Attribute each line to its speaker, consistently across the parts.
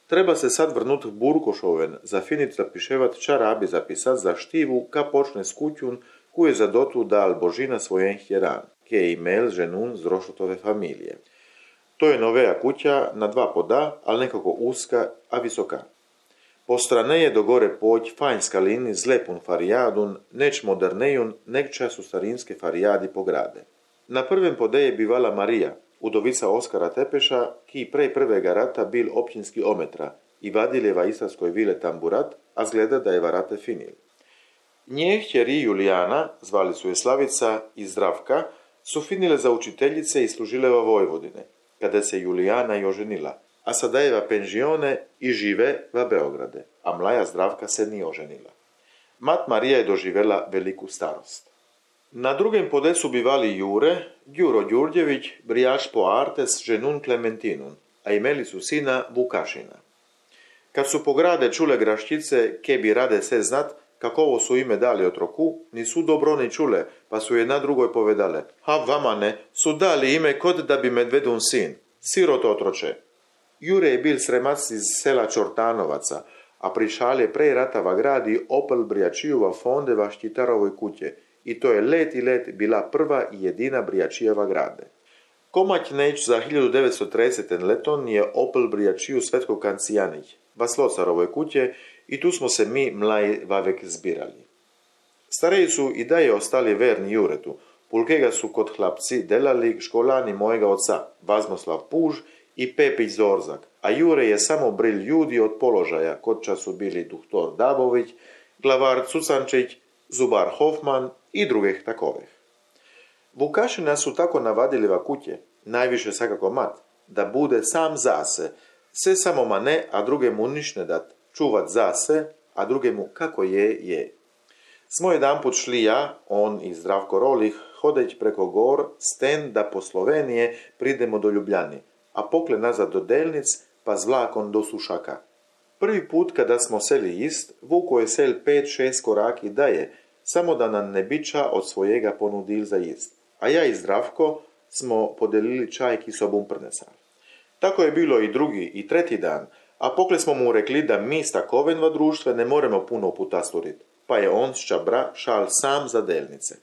Speaker 1: Treba se sad vrnut v Burkošoven, zafinit zapiševat čarabi zapisat za štivu, ka počne skutjun, ku je za dotu dal Božina svojen hjeran, ki je imel ženun z Rošotove familije. To je novea kuća na 2 poda, ali nekako uska, a visoka. Po strane je do gore poć fanjska lini z lepun farijadun, neč modernejun, nek času starinske farijadi pograde. Na prvem pode je bivala Marija, udovica Oskara Tepeša, ki prej prvega rata bil općinski ometra i vadiljeva istarskoj vile tamburat, a zgleda da je varate finil. Nje hćeri Julijana, zvali su je Slavica i Zdravka, su finile za učiteljice i služileva Vojvodine, kada se Julijana i oženila, a sadajeva penžione i žive va Beograde, a mlaja Zdravka se nije oženila. Mat Marija je doživela veliku starost. Na drugem podesu bivali Jure, Đuro Đurđević, brijač po arte s ženun Klementinun, a imeli su sina Vukašina. Kad su po grade čule graščice, ke bi rade se znat, kakovo su ime dali otroku, nisu dobro ni čule, pa su jedna drugoj povedale: "Ha, vama ne, su dali ime kod da bi medvedun sin, sirot otroče." Jure je bil sremac iz sela Čortanovaca, a prišal je prej ratava gradi opel brijačijova fondeva Štitarovoj kuće, i to je let i let bila prva i jedina brijačijeva grade. Komać neć za 1930. leton je opel brijačiju Svetko Kancijanich, va Slocarovoj kuće, i tu smo se mi mlaji vavek zbirali. Stareji su i daje ostali verni Juretu, pulkega su kod hlapci delali školani mojega oca, Vazmoslav Puž i Pepić Zorzak, a Jure je samo bril ljudi od položaja, kod času bili doktor Dabović, glavar Cucančić, Zubar Hofman i drugih takovih. Vukašina su tako navadili va kuće, najviše svakako mat, da bude sam zase, se samo ma ne, a druge mu niš ne dat, čuvat zase, a druge mu kako je. Smo jedan put šli ja, on i Zdravko Rolih, hodeć preko gor, sten da po Slovenije pridemo do Ljubljani, a pokle nazad do Delnic, pa z vlakom do Sušaka. Prvi put kada smo seli ist, vuko je sel 5-6 koraki daje, samo da nam ne biča od svojega ponudil za jest. A ja i Zdravko smo podelili čaj ki sobom prnesali. Tako je bilo i drugi i treti dan, a pokle smo mu rekli da mi s takovenva društve ne moremo puno puta sturit, pa je on s Čabra šal sam za Delnice.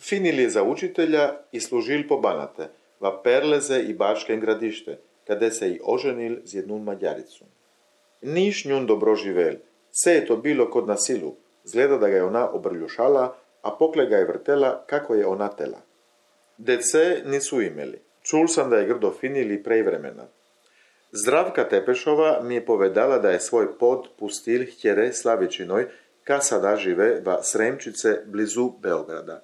Speaker 1: Finil je za učitelja i služil po Banate, va Perleze i Bačken gradište, kada se i oženil z jednu Mađaricu. Niš njun dobro živel, se je to bilo kod na silu, zgleda da ga je ona obrljušala, a pokle ga je vrtela kako je ona tela. Dece nisu imeli, čul sam da je grdo finili prej vremena. Zdravka Tepešova mi je povedala da je svoj pod pustil hćere Slavičinoj, ka sada žive va Sremčice blizu Beograda.